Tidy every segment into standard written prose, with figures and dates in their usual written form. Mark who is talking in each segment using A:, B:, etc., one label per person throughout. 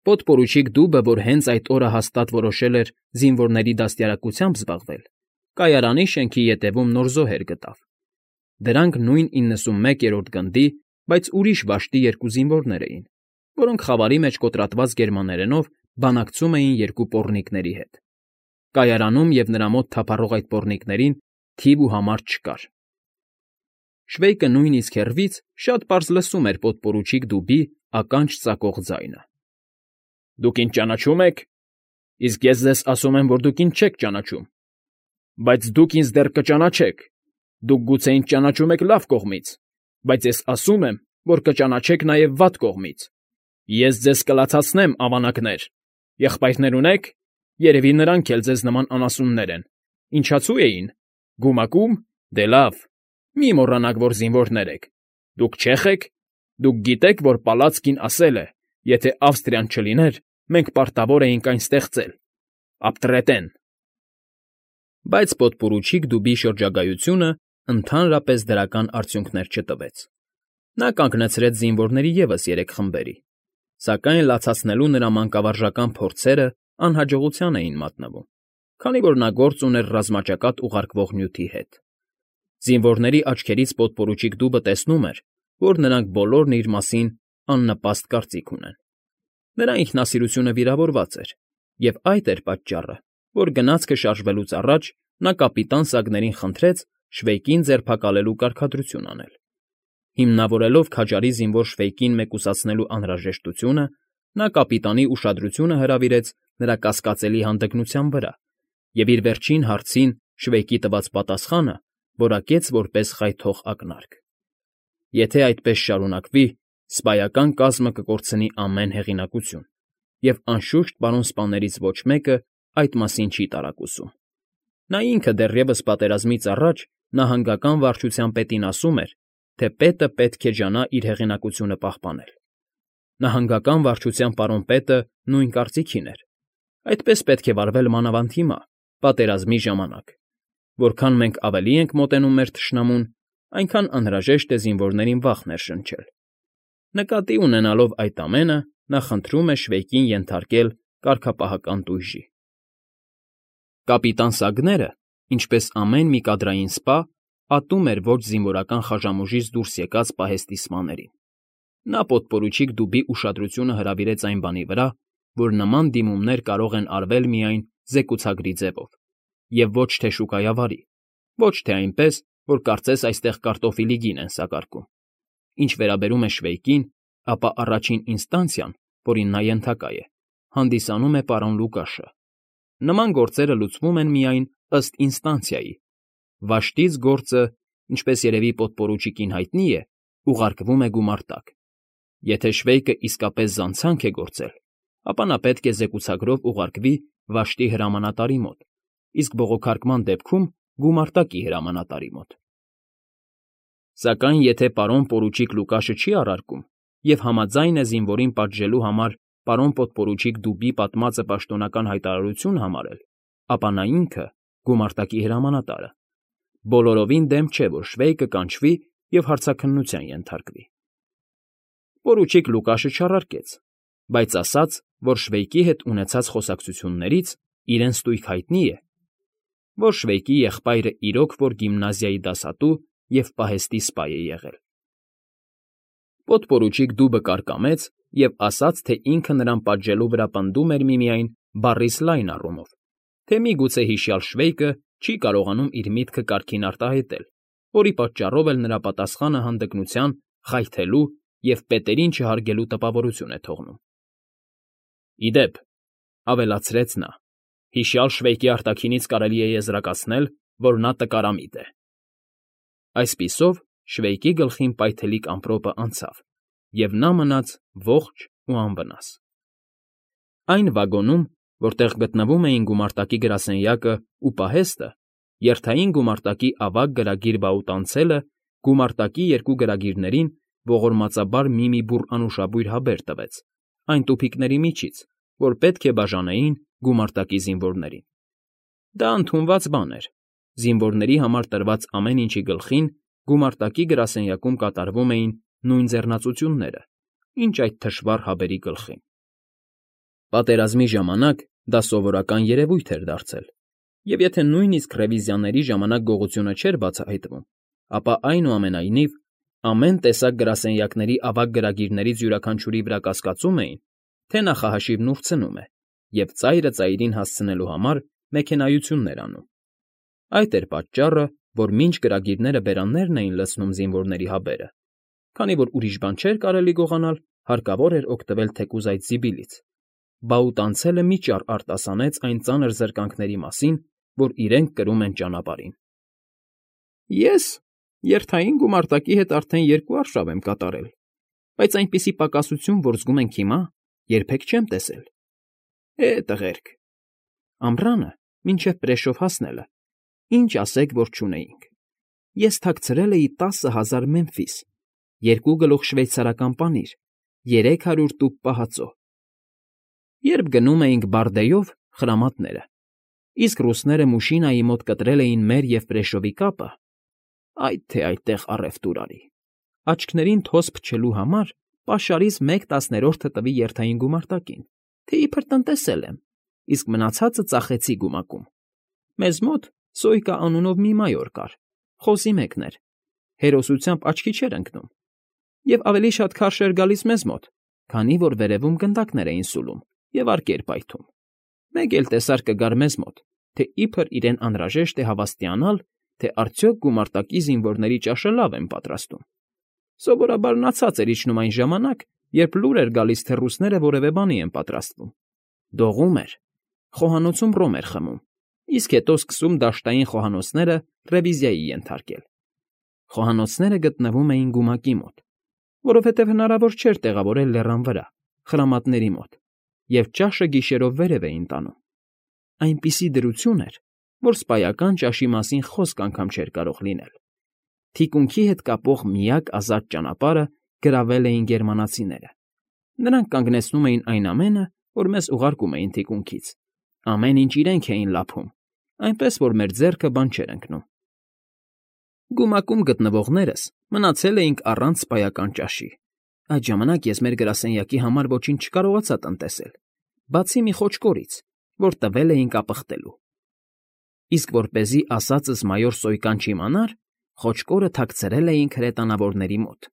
A: Պոդպորուչիկ դուբը, որ հենց այդ օրը հաստատ որոշել էր զինվորների դաստիարակությամբ զբաղվել, կայարանի շենքի ետևում նոր զոհեր գտավ. դրանք նույն 91-րդ գնդի, բայց ուրիշ վաշտի երկու զինվորներ էին, որոնք խավարի մեջ կոտրատված գերմաներենով բանակցում էին երկու պոռնիկների հետ։ Կայարանում և նրա մոտ թափառող այդ պոռնիկներին թիվ ու համար չկար։ Շվեյկը նույնիսկ հեռվից շատ պարզ լսում էր պոդպորուչիկ դուբի ականջ ծակող ձայնը։ Դուք ինձ ճանաչում եք, իսկ ես ձեզ ասում եմ, որ դուք ինձ չեք ճանաչում, բայց դուք ինձ դեռ կճանաչեք, դուք գուցե ինձ ճանաչում եք լավ կողմից, բայց ես ասում եմ, որ կճանաչեք նաև վատ կողմից։ Ես ձեզ կլացացնեմ, ավանակներ, եղբայրներ ունեք, երևի նրանք էլ ձեզ նման անասուններ են, ինչացու էին, գումակում, դե լավ, մի մոռանաք, որ զինվորներ եք, դուք չեխ եք, դուք գիտեք, որ Պալացկին ասել է, եթե Ավստրիան չլիներ, մենք պարտավոր էինք այն ստեղծել, ապտրետեն։ Բայց պոդպորուչիկ դուբի շրջագայությունը ընդհանրապես դրական արդյունքներ չտվեց։ Նա կանգնեցրեց զինվորների ևս 3 խմբերի, սակայն լացացնելու նրա մանկավարժական փորձերը անհաջողության էին մատնվում, քանի որ նա գործ ուներ ռազմաճակատ ուղարկվող նյութի հետ։ Զինվորների աչքերից պոդպորուչիկ դուբը տեսնում էր, որ նրանք բոլորն իր մասին աննպաստ կարծիք ունեն։ Նրա ինքնասիրությունը վիրավորված էր, և այդ էր պատճառը, որ գնացքը շարժվելուց առաջ նա կապիտան Սագներին խնդրեց Շվեյկին ձերբակալելու կարգադրություն անել։ Հիմնավորելով քաջարի զինվոր Շվեյկին մեկուսացնելու անհրաժեշտությունը, նա կապիտանի ուշադրությունը հրավիրեց նրա կասկածելի հանդգնության վրա և իր վերջին հարցին Շվեյկի տված պատասխանը որակեց որպես խայթող ակնարկ։ Եթե այդպես շարունակվի, սպայական կազմը կկորցնի ամեն հեղինակություն, և անշուշտ պարոն սպաներից ոչ մեկը այդ մասին չի տարակուսում։ Նա ինքը դեռևս պատերազմից առաջ նահանգական վարչության պետին ասում էր, թե պետը պետք է ջանա իր հեղինակությունը պահպանել։ Նահանգական վարչության պարոն պետը նույն կարծիքին էր։ Այդպես պետք է վարվել մանավանդ հիմա, պատերազմի ժամանակ։ Որքան մենք ավելի ենք մոտենում մեր թշնամուն, այնքան անհրաժեշտ է զինվորներին վախ ներշնչել։ Նկատի ունենալով այդ ամենը, նա խնդրում է Շվեյկին ենթարկել կարգապահական տույժի։ Կապիտան Սագները, ինչպես ամեն մի կադրային սպա, ատում էր ոչ զինվորական խաժամուժից դուրս եկած պահեստի սպաներին։ Նա պոդպորուչիկ դուբի ուշադրությունը հրավիրեց այն բանի վրա, որ նման դիմումներ կարող են արվել միայն զեկուցագրի ձևով, և ոչ թե շուկայավարի, ոչ թե այնպես, որ կարծես այստեղ կարտոֆիլի գին են սակարկում։ Ինչ վերաբերում է Շվեյկին, ապա առաջին ինստանցիան, որին նա ենթակա է, հանդիսանում է պարոն Լուկաշը։ Նման գործերը լուծվում են միայն ըստ ինստանցիայի։ Վաշտից գործը, ինչպես երևի պոդպորուչիկին հայտնի է, ուղարկվում է գումարտակ։ Եթե Շվեյկը իսկապես զանցանք է գործել, ապա նա պետք է զեկուցագրով ուղարկվի վաշտի հրամանատարի մոտ, իսկ բողոքարկման դեպքում գումարտակի հրամանատարի մոտ։ Սակայն եթե պարոն պորուչիկ Լուկաշը չի առարկում և համաձայն է զինվորին պատժելու համար պարոն պոդպորուչիկ դուբի պատմածը պաշտոնական հայտարարություն համարել, ապա նա ինքը, գումարտակի հրամանատարը, բոլորովին դեմ չէ, որ Շվեյկը կանչվի և հարցաքննության ենթարկվի։ Պորուչիկ Լուկաշը չառարկեց, բայց ասաց, որ Շվեյկի հետ ունեցած խոսակցություններից իրեն ստույգ հայտնի է, որ Շվեյկի եղբայրը իրոք որ գիմնազիայի դասատու և պահեստի սպա է եղել։ Պոդպորուչիկ դուբը կարկամեց և ասաց, թե ինքը նրան պատժելու վրա պնդում էր միմիայն բառից լայն առումով, թե միգուցե հիշյալ Շվեյկը չի կարողանում իր միտքը կարգին արտահայտել, որի պատճառով էլ նրա պատասխանը հանդգնության, խայթելու և պետերին չհարգելու տպավորություն է թողնում։ Ի դեպ, ավելացրեց նա, հիշյալ Շվեյկի արտաքինից կարելի է եզրակացնել, որ նա տկարամիտ է։ Այսպիսով Շվեյկի գլխին պայթելիկ ամպրոպը անցավ, և նա մնաց ողջ ու անվնաս։ Այն վագոնում, որտեղ գտնվում էին գումարտակի գրասենյակն ու պահեստը, երթային գումարտակի ավագ գրագիր Բաուտանցելը գումարտակի երկու գրագիրներին ողորմածաբար մի բուռ անուշաբույր հաբեր տվեց այն տուփիկների միջից, որ պետք է բաժանեին գումարտակի զինվորներին։ Դա ընդունված բան էր։ Զինվորների համար տրված ամեն ինչի գլխին գումարտակի գրասենյակում կատարվում էին նույն ձեռնածությունները, ինչ այդ թշվառ հաբերի գլխին։ Պատերազմի ժամանակ դա սովորական երևույթ էր դարձել, և եթե նույնիսկ ռևիզիաների ժամանակ գողությունը չէր բացահայտվում, ապա այնուամենայնիվ ամեն տեսակ գրասենյակների ավագ գրագիրներից յուրաքանչյուրի վրա կասկածում էին, թե նախահաշիվն ուրցնում է և ծայրը ծայրին հասցնելու համար մեքենայություններ անում։ Այդ էր պատճառը, որ մինչ գրագիրները բերաններն էին լցնում զինվորների հաբերը, քանի որ ուրիշ բան չէր կարելի գողանալ, հարկավոր էր օգտվել թեկուզ այդ զիբիլից, Բաուտանցելը մի ճառ արտասանեց այն ծանր զրկանքների մասին, որ իրենք կրում են ճանապարհին։ Ես երթային գումարտակի հետ արդեն 2 արշավ եմ կատարել, բայց այնպիսի պակասություն, որ զգում ենք հիմա, երբեք չեմ տեսել։ Տղերք, ամռանը, մինչև Պրեշով հասնելը, ինչ ասեք, որ չունեինք։ Ես թաքցրել էի 10,000 մեմֆիս, 2 գլուխ շվեյցարական պանիր, 300 տուփ պահածո։ Երբ գնում էինք Բարդեյով խրամատները, իսկ ռուսները Մուշինայի մոտ կտրել էին մեր և Պրեշովի կապը, այդ թե այդտեղ առևտուր արի։ Աչքներին թոս փչելու համար պաշարից 1/10 տվի երթային գումարտակին, թե իբր տնտեսել եմ, իսկ մնացածը ծախեցի գումակում։ Մեզ մոտ Սոյկա անունով մի մայոր կար, խոզի մեկն էր, հերոսությամբ աչքի չէր ընկնում, և ավելի շատ քարշ էր գալիս մեզ մոտ, քանի որ վերևում գնդակներ էին սուլում և արկեր պայթում։ Մեկ էլ տեսար կգար մեզ մոտ, թե իբր իրեն անհրաժեշտ է հավաստիանալ, թե արդյոք գումարտակի զինվորների ճաշը լավ են պատրաստում։ Սովորաբար նա ցած էր իջնում այն ժամանակ, երբ լուր էր գալիս, թե ռուսները որևէ բանի են պատրաստվում։ Դողում էր, խոհանոցում ռոմ էր խմում, իսկ հետո սկսում դաշտային խոհանոցները ռևիզիայի ենթարկել։ Խոհանոցները գտնվում էին գումակի մոտ, որովհետև հնարավոր չէր տեղավորել լեռան վրա, խրամատների մոտ, և ճաշը գիշերով վերև էին տանում։ Այնպիսի դրություն էր, որ սպայական ճաշի մասին խոսք անգամ չէր կարող լինել։ Թիկունքի հետ կապող միակ ազատ ճանապարհը գրավել էին գերմանացիները։ Նրանք կանգնեցնում էին այն ամենը, որ մեզ ուղարկում էին թիկունքից։ Ամեն ինչ իրենք էին լափում, այնպես որ մեր ձեռքը բան չէր ընկնում։ Գումակում գտնվողներս մնացել էինք առանց սպայական ճաշի։ Այդ ժամանակ ես մեր գրասենյակի համար ոչինչ չկարողացա տնտեսել, բացի մի խոճկորից, որ տվել էին կապխտելու։ Իսկ որպեսզի ասածս մայոր Սոյկան չիմանար, խոճկորը թաքցրել էինք հրետանավորների մոտ,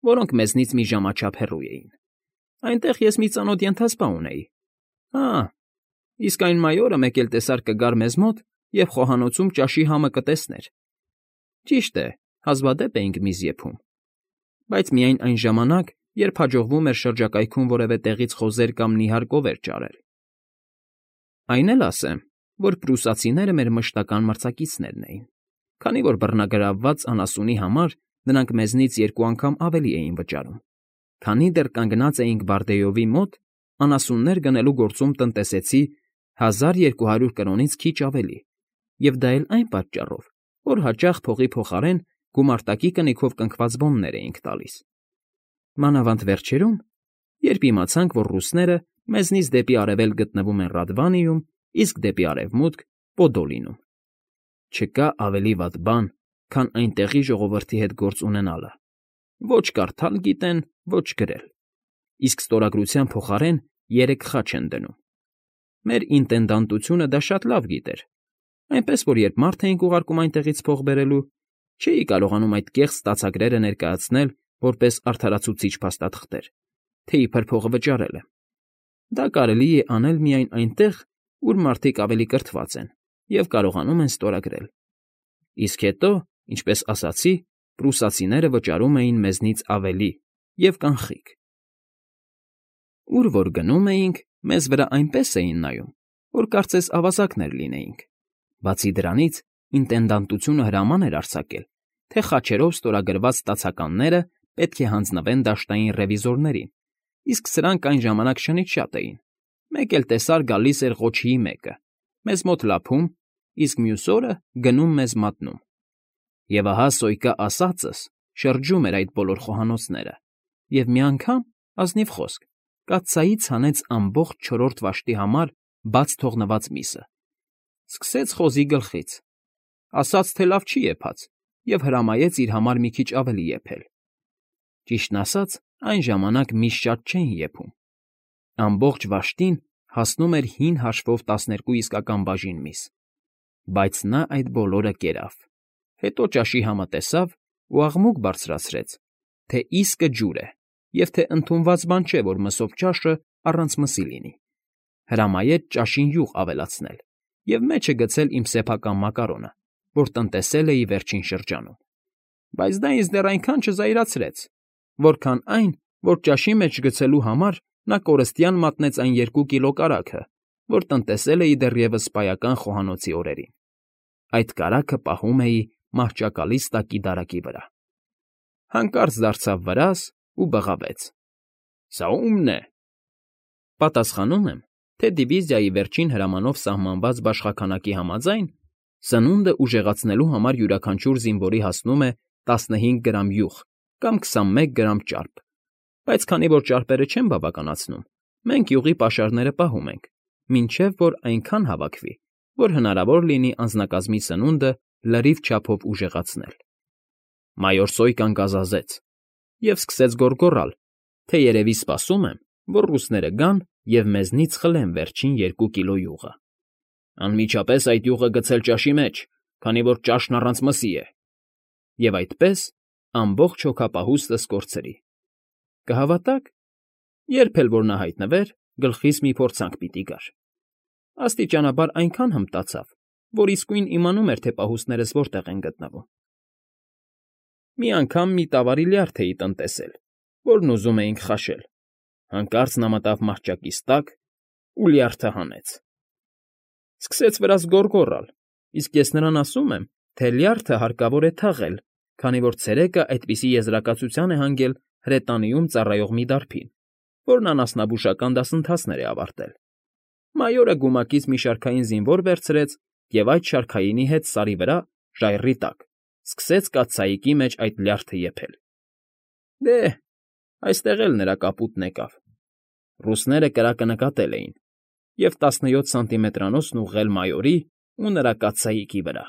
A: որոնք մեզնից մի ժամաչափ հեռու էին։ Այնտեղ ես մի ծանոթ ենթասպա ունեի։ Իսկ այն մայորը մեկ էլ տեսար կգար մեզ մոտ և խոհանոցում ճաշի համը կտեսներ։ Ճիշտ է, հազվադեպ էինք միս եփում, բայց միայն այն ժամանակ, երբ հաջողվում էր շրջակայքում որևէ տեղից խոզեր կամ նիհար կովեր ճարել։ Այն էլ ասեմ, որ պրուսացիները մեր մշտական մրցակիցներն էին, քանի որ բռնագրավված անասունի համար նրանք մեզնից 2 անգամ ավելի էին վճարում։ Քանի դեռ կանգնած էինք Բարդեյովի մոտ, անասուններ գնելու գործում տնտեսեցի 1200 կրոնից քիչ ավելի, և դա էլ այն պատճառով, որ հաճախ փողի փոխարեն գումարտակի կնիքով կնքված բոններ էինք տալիս։ Մանավանդ վերջերում, երբ իմացանք, որ ռուսները մեզնից դեպի արևել գտնվում են Ռադվանիում, իսկ դեպի արևմուտք՝ Պոդոլինում։ Չկա ավելի վատ բան, քան այնտեղի ժողովրդի հետ գործ ունենալը։ Ոչ կարդալ գիտեն, ոչ գրել, իսկ ստորագրության փոխարեն 3 խաչ են դնում։ Մեր ինտենդանտությունը դա շատ լավ գիտեր, այնպես որ երբ մարդ էինք ուղարկում այնտեղից փող բերելու, չէի կարողանում այդ կեղծ ստացագրերը ներկայացնել որպես արդարացուցիչ փաստաթղթեր, թե իբր փողը վճարել եմ։ Դա կարելի է անել միայն այնտեղ, ուր մարդիկ ավելի կրթված են և կարողանում են ստորագրել։ Իսկ հետո, ինչպես ասացի, պրուսացիները վճարում էին մեզնից ավելի և կանխիկ։ Ուր որ գնում էինք, մեզ վրա այնպես էին նայում, որ կարծես ավազակներ լինեինք։ Բացի դրանից, ինտենդանտությունը հրաման էր արձակել, թե խաչերով ստորագրված ստացականները պետք է հանձնվեն դաշտային ռևիզորներին, իսկ սրանք այն ժամանակ շնից շատ էին։ Մեկ էլ տեսար գալիս էր ղոչիի մեկը, մեզ մոտ լափում, իսկ մյուս օրը գնում մեզ մատնում։ Եվ ահա Սոյկա ասածս շրջում էր այդ բոլոր խոհանոցները, և մի անգամ, ազնիվ խոսք, կաթսայից հանեց ամբողջ 4-րդ վաշտի համար բաց թողնված միսը։ Սկսեց խոզի գլխից, ասաց, թե լավ չի եփած, և հրամայեց իր համար մի քիչ ավելի եփել։ Ճիշտն ասած, այն ժամանակ միս շատ չէին եփում։ Ամբողջ վաշտին հասնում էր հին հաշվով 12 իսկական բաժին միս, բայց նա այդ բոլորը կերավ, հետո ճաշի համը տեսավ ու աղմուկ բարձրացրեց, թե իսկը ջուր է և թե ընդունված բան չէ, որ մսով ճաշը առանց մսի լինի, հրամայեց ճաշին յուղ ավելացնել և մեջը գցել իմ սեփական մակարոնը, որ տնտեսել էի վերջին շրջանում, բայց դա ինձ դեռ այնքան չզայրացրեց, որքան այն, որ ճաշի մեջ գցելու համար նա կորստյան մատնեց այն 2 կիլո կարագը, որ տնտեսել էի դեռևս սպայական խոհանոցի օրերին. այդ կարագը պահում էի մահճակալից տակի դարակի վրա։ Հանկարծ դարձավ վրաս ու բղավեց. «Սա ո՞ւմն է»։ Պատասխանում եմ, թե դիվիզիայի վերջին հրամանով սահմանված բաշխաքանակի համաձայն սնունդը ուժեղացնելու համար յուրաքանչյուր զինվորի հասնում է 15 գրամ յուղ կամ 21 գրամ ճարպ, բայց քանի որ ճարպերը չեն բավականացնում, մենք յուղի պաշարները պահում ենք, մինչև որ այնքան հավաքվի, որ հնարավոր լինի անձնակազմի սնունդը լրիվ չափով ուժեղացնել։ Մայոր Սոյկան գազազեց և սկսեց գոռգոռալ, թե երևի սպասում եմ, որ ռուսները գան և մեզնից խլեն վերջին 2 կիլո յուղը։ Անմիջապես այդ յուղը գցել ճաշի մեջ, քանի որ ճաշն առանց մսի է։ Եվ այդպես ամբողջ հոգապահուստս կորցրի։ Կհավատաք, երբ էլ որ նա հայտնվեր, գլխիս մի փորձանք պիտի գար։ Աստիճանաբար այնքան հմտացավ, որ իսկույն իմանում էր, թե պահուստներս որտեղ են գտնվում։ Մի անգամ մի տավարի լյարդ էի տնտեսել, որն ուզում էինք խաշել։ Հանկարծ նա մտավ մահճակիս տակ ու լյարդը հանեց։ Սկսեց վրաս գոռգոռալ, իսկ ես նրան ասում եմ, թե լյարդը հարկավոր է թաղել, քանի որ ցերեկը այդպիսի եզրակացության է հանգել հրետանիում ծառայող մի դարբին, որն անասնաբուժական դասընթացներ է ավարտել։ Մայորը գումակից մի շարքային զինվոր վերցրեց և այդ շարքայինի հետ սարի վրա, ժայռի տակ, սկսեց կաթսայիկի մեջ այդ լյարդը եփել։ Դե, այստեղ էլ նրա կապուտն եկավ։ Ռուսները կրակը նկատել էին և 17 սանտիմետրանոցն ուղղել մայորի ու նրա կաթսայիկի վրա։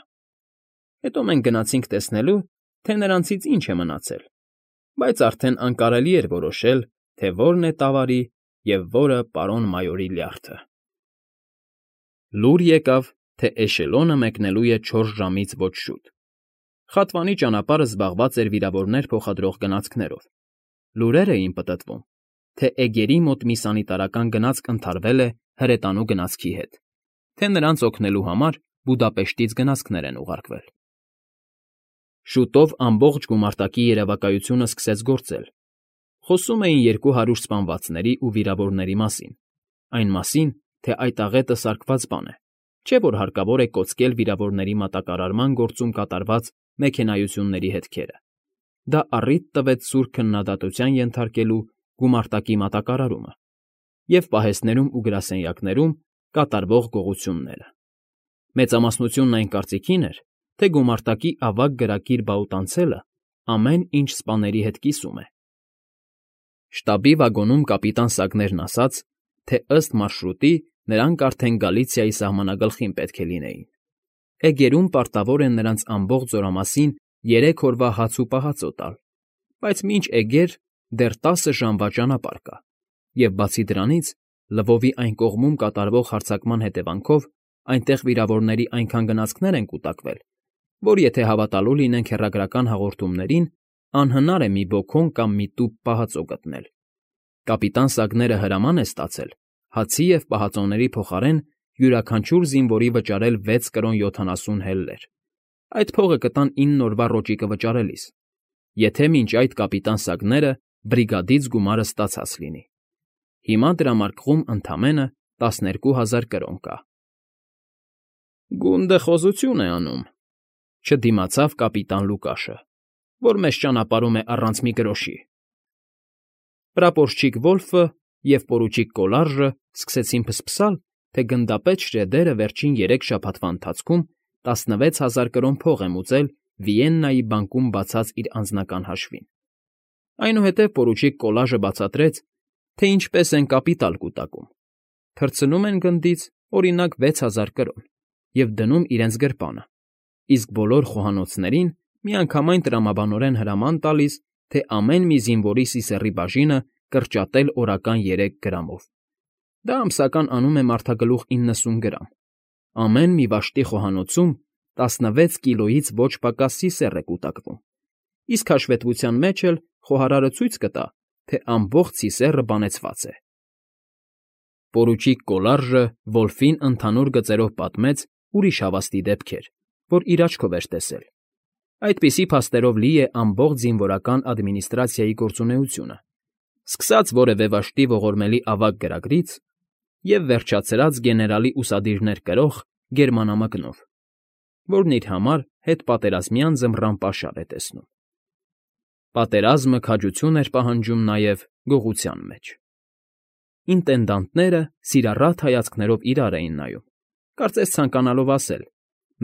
A: Հետո մենք գնացինք տեսնելու, թե նրանցից ինչ է մնացել, բայց արդեն անկարելի էր որոշել, թե որն է տավարի և որը պարոն մայորի լյարդը։ Լուր եկավ, թե էշելոնը մեկնելու է 4 ժամից ոչ շուտ։ Խատվանի ճանապարհը զբաղված էր վիրավորներ փոխադրող գնացքներով։ Լուրեր էին պտտվում, թե էգերի մոտ մի սանիտարական գնացք ընդարվել է հրետանու գնացքի հետ, թե նրանց օգնելու համար Բուդապեշտից գնացքներ են ուղարկվել։ Շուտով ամբողջ գումարտակի երևակայությունը սկսեց գործել։ Խոսում էին 200 սպանվածների ու վիրավորների մասին, այն մասին, թե այդ աղետը սարկված բան է, չէ՞ որ հարկավոր է կոծկել վիրավորների մատակարարման գործում կատարված մեքենայությունների հետքերը։ Դա առիթ տվեց սուր քննադատության ենթարկելու գումարտակի մատակարարումը և պահեստներում ու գրասենյակներում կատարվող գողությունները։ Մեծամասնությունն այն կարծիքին էր, թե գումարտակի ավագ գրակիր բաուտանցելը ամեն ինչ սպաների հետ կիսում է։ Շտաբի վագոնում կապիտան Սագներն ասաց, թե ըստ մարշրուտի նրանք արդեն Գալիցիայի սահմանագլխին պետք է լինեին։ Էգերում պարտավոր են նրանց ամբողջ զորամասին 3 օրվա հաց ու պահածո տալ, բայց մինչ էգեր դեռ 10 ժամվա ճանապարհ կա, և բացի դրանից, Լվովի այն կողմում կատարվող հարձակման հետևանքով այնտեղ վիրավորների այնքան գնացքներ են կուտակվել, որ եթե հավատալու լինենք հեռագրական հաղորդումներին, անհնար է մի բոքոն կամ մի տուփ պահածո գտնել։ Կապիտան Սագները հրաման է ստացել հացի և պահածոների փոխարեն յուրաքանչյուր զինվորի վճարել 6 կրոն 70 հելլեր։ Այդ փողը կտան 9 օրվա ռոճիկը վճարելիս, եթե մինչ այդ կապիտան Սագները բրիգադից գումարը ստացած լինի։ Հիմա դրամարկղում ընդամենը 12,000 կրոն կա։ Գունդը խոզություն է անում, չդիմացավ կապիտան Լուկաշը, որ մեզ ճանապարհում է առանց մի գրոշի։ Պրապորչիկ Վոլֆը և պորուչիկ Կոլարժը սկսեցին փսփսալ, թե գնդապետ Շրեդերը վերջին 3 շաբաթվա ընթացքում 16,000 կրոն փող է մուծել Վիեննայի բանկում բացած իր անձնական հաշվին։ Այնուհետև պորուչիկ Կոլաժը բացատրեց, թե ինչպես են կապիտալ կուտակում։ Թռցնում են գնդից, օրինակ, 6,000 կրոն և դնում իրենց գրպանը, իսկ բոլոր խոհանոցներին միանգամայն տրամաբանորեն հրաման տալիս, թե ամեն մի զինվորի սիսեռի բաժինը կրճատել օրական 3 գրամով։ Դա ամսական անում է մարդագլուխ 90 գրամ։ Ամեն մի վաշտի խոհանոցում 16 կիլոից ոչ պակաս սիսեռ է կուտակվում, իսկ հաշվետվության մեջ էլ խոհարարը ցույց կտա, թե ամբողջ սիսեռը բանեցված է։ Պորուչիկ Կոլարժը Վոլֆին ընդհանուր գծերով պատմեց ուրիշ հավաստի դեպքեր, որ իր աչքով էր տեսել։ Այդպիսի փաստերով լի է ամբողջ զինվորական ադմինիստրացիայի գործունեությունը, սկսած որևէ վաշտի ողորմելի ավագ գրագրից և վերջացրած գեներալի ուսադիրներ կրող գերմանամկնով, որն իր համար հետպատերազմյան ձմռան պաշար է տեսնում։ Պատերազմը քաջություն էր պահանջում նաև գողության մեջ։ Ինտենդանտները սիրառատ հայացքներով իրար էին նայում, կարծես ցանկանալով ասել.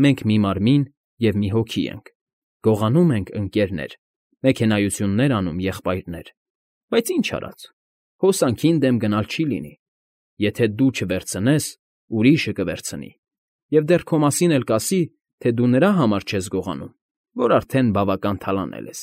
A: «Մենք մի մարմին և մի հոգի ենք, գողանում ենք, ընկերներ, մեքենայություններ անում, եղբայրներ, բայց ինչ արած, հոսանքին դեմ գնալ չի լինի, եթե դու չվերցնես, ուրիշը կվերցնի, և դեռ քո մասին էլ կասի, թե դու նրա համար չես գողանում, որ արդեն բավական թալանել ես»։